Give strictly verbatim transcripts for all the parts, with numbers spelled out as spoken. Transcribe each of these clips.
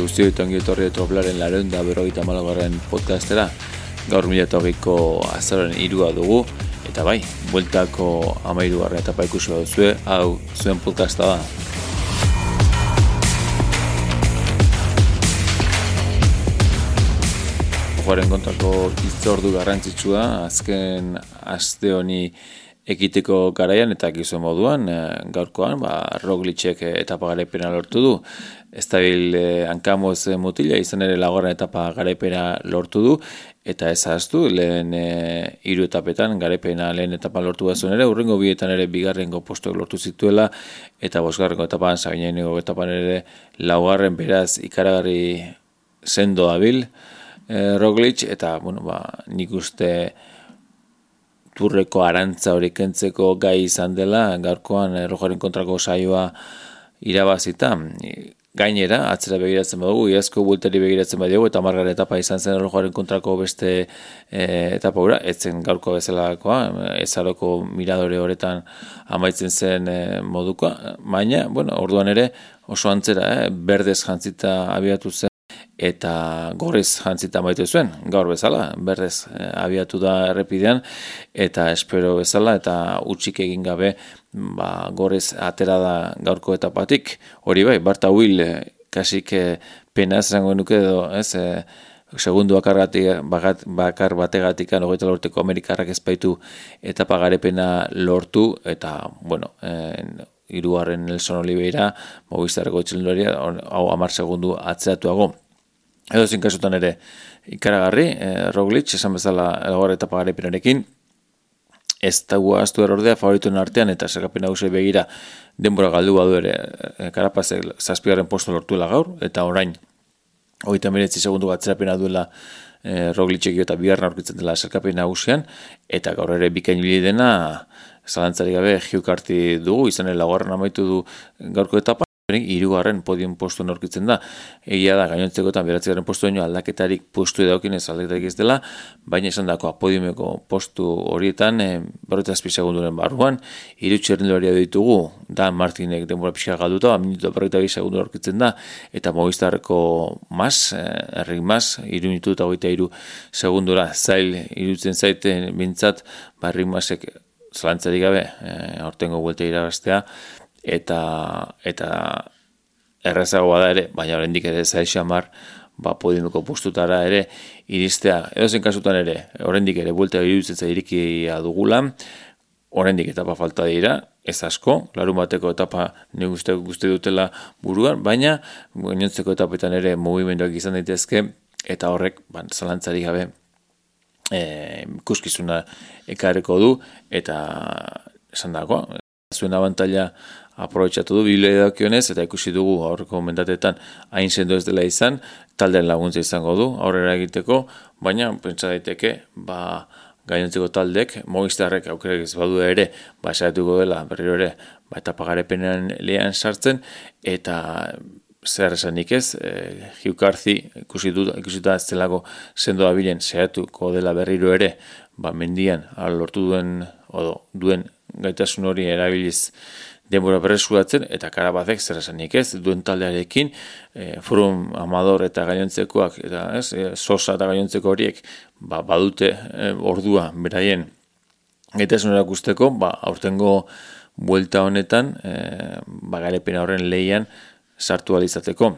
guztioi eta ongi etorri Troplaren laurehun eta berrogeita hamalaugarren podcastera. Gaur mila eta hogeiko azaroaren hirua dugu, eta bai, bueltako hamahirugarren etapa ikusi baduzue, hau zuen podcasta da. Joaren kontrako hitzordu garrantzitsua, azken aste honi ekiteko garaian eta gizu moduan, gaurkoan, ba, Roglicek etapa garaipena lortu du. Estabil eh, hankamoz mutila, izan ere laugarren etapa garaipena lortu du, eta ez ahaztu, lehen eh, hiru etapetan, garaipena lehen etapa lortu bazuen ere, urrengo bietan ere bigarrengo postuak lortu zituela, eta bosgarrengo etapan, sabinaineko etapan ere laugarren beraz ikaragarri sendo dabil, eh, Roglic, eta, bueno, ba, nik uste turreko arantza hori kentzeko gai izan dela, gaurkoan Rojaren kontrako saioa irabazita. Gainera, atzera begiratzen badugu, iazko bueltari begiratzen badugu, eta margarren etapa izan zen Rojaren kontrako beste e, etapa gura, etzen gaurko bezalakoa, ezaroko miradore horretan amaitzen zen e, modukoa, baina, bueno, orduan ere oso antzera, eh, berdez jantzita abiatu zen, eta gorriz jantzita amaitu zuen, gaur bezala, berdez eh, abiatu da errepidean, eta espero bezala, eta utxik egin gabe, ba, gorriz atera da gaurko etapatik, hori bai, Barta Will, eh, kasik eh, pena zango nuke edo, ez, eh, segundu bakar, bagat, bakar bategatik, hogeita lorteko Amerikarrak ezpaitu etapa garepena lortu, eta, bueno, eh, hirugarren Nelson Oliveira, Movistarreko txelendaria, hau hamar segundu atzeratuago. Edo zin kasutan ere ikaragarri, eh, Roglic, esan bezala elgor etapa garaipenarekin, ez dago aztu erordea favorituen artean eta zergapen nagusiei begira denbora galdu badu ere eh, Carapazek zazpigarren postu lortuela gaur, eta orain hogeita hemeretzi segundu atzerapena duela eh, Roglicek eta bigarren aurkitzen dela zergapen nagusian, eta gaur ere bikain ibili dena zalantzarik gabe Hugh Carty dugu, izan ere laugarren amaitu du gaurko etapa, hirugarren podium postu aurkitzen da. Egia da, gainontzekoetan beratzigarren postu baino aldaketarik postu edaukin ez aldaketarik ez dela, baina esan dakoa podiumeko postu horietan, e, berrogeita zazpi segunduren barruan, hiru txirrindularia ditugu, Dan Martinek denbora pixka galduta, minutu berrogeita bi segundu aurkitzen da, eta Movistarreko mas, errik mas, hiru minutu eta hogeita hiru segundura zail irutzen zaiten bintzat, ba, errik masek zalantzarik gabe, e, aurtengo buelta irabaztea, eta eta errazagoa da ere, baina oraindik ere zaixamar, ba, podiumeko postutara ere iristea. Edozein kasutan ere, oraindik ere buelta iruditzen irikia dugula, oraindik etapa falta dira, ez asko, larun bateko etapa nik uste guzti dutela buruan, baina gainontzeko etapetan ere mugimenduak izan daitezke, eta horrek, ba, zalantzarik gabe e, ikuskizuna ekarreko du, eta esan dago, zuen abantaila aprobetxatu du biblia dakionez, eta ikusi dugu aurreko mendatetan hain sendo ez dela izan, taldean laguntza izango du aurrera egiteko, baina pentsa daiteke, ba, gainontzeko taldek, Movistarrek aukerak ez badu ere, ba, esatuko dela berriro ere, ba, etapa garepenean lehan sartzen, eta zer esanik ez, e, Hugh Carty ikusi du, ikusita ez delako sendo dabilen saiatuko dela berriro ere, ba, mendian lortu duen, odo, duen gaitasun hori erabiliz denbora berreskuratzen, eta Carapazek zer esanik ez, duen taldearekin, e, Froome, Amador eta gainontzekoak, eta ez, e, Sosa eta gainontzeko horiek, ba, badute e, ordua beraien gaitasun erakusteko, ba, aurtengo buelta honetan, e, ba, garepena horren lehian sartu alizateko.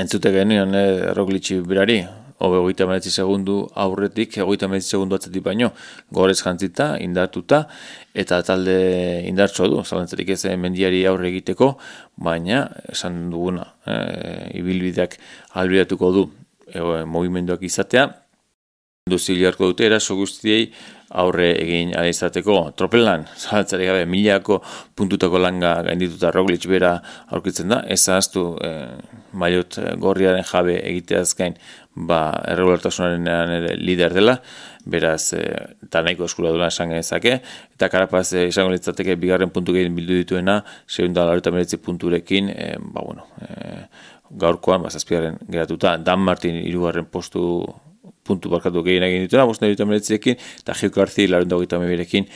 Entzute genuen e, Roglic berari, hobe hogeita hemeretzi segundu aurretik, hogeita hemeretzi segundu atzetik baino, gorez jantzita, indartuta, eta talde indartsoa du, zalantzarik ez mendiari aurre egiteko, baina, esan duguna, e, ibilbideak albideatuko du e, mugimenduak izatea, duzili harko dute, eraso guztiei aurre egin izateko. Tropelan, zalantzarik gabe, milako puntutako langa gaindituta Roglic bera aurkitzen da, ez ahaztu e, maiot gorriaren jabe egiteaz gain, ba, erregulartasunaren ere lider dela, beraz, e, eta nahiko eskura duela esan genezake, eta Carapaz e, izango litzateke bigarren puntu gehien bildu dituena, seiehun eta laurogeita hemeretzi punturekin, e, ba, bueno, e, gaurkoan, ba, zazpigarren geratuta, Dan Martin hirugarren postu puntu barkatu gehien egin dituna, bost neurita meretzirekin, eta Hugh Carty laurogeita hogeita hamabirekin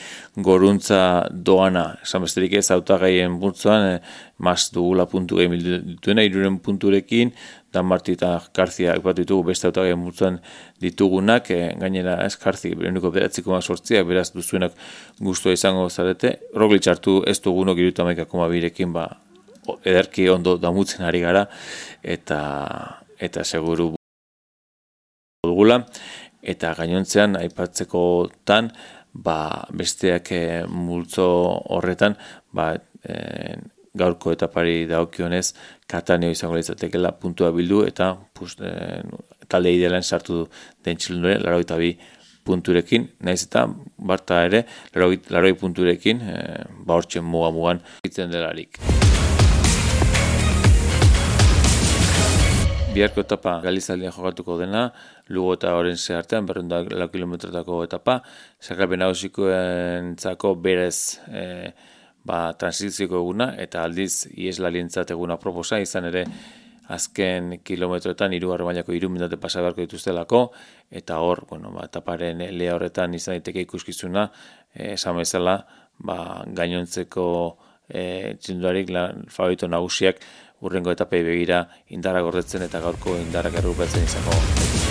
goruntza doana, esan besterik ez, hautagaien bultzoan, e, mas dugula puntu gehien dituena, hiruren punturekin, Dan Marti eta Garzia aipatu ditugu beste hautagai multzoan ditugunak, e, gainera ez Garzi ehuneko bederatzi koma zortziak, beraz duzuenak gustua izango zarete. Roglic hartu ez dugunok hirurogeita hamaika koma birekin ba ederki ondo damutzen ari gara eta eta seguru dugula, eta gainontzean aipatzekotan ba besteak e, multzo horretan ba e, gaurko etapari dagokionez Kataneo izango litzatekeela puntua bildu eta pus, e, talde idealen sartu den txilundore laurogeita bi punturekin, naiz eta Barta ere laurogei punturekin e, ba hortzen muga mugan itzen delarik. Biharko etapa Galizaldian jokatuko dena, Lugo eta Orense artean, berrehun eta lau kilometrotako etapa, sailkapen nagusikoentzako berez e, ba, transizioko eguna, eta aldiz ieslarientzat eguna proposa, izan ere azken kilometroetan hirugarren mailako hiru minute pasa beharko dituztelako, eta hor, bueno, ba, etaparen lea horretan izan daiteke ikuskizuna, e, esan bezala, ba, gainontzeko e, txindularik favorito nagusiak urrengo etapei begira indarra gordetzen eta gaurko indarrak errupatzen izango.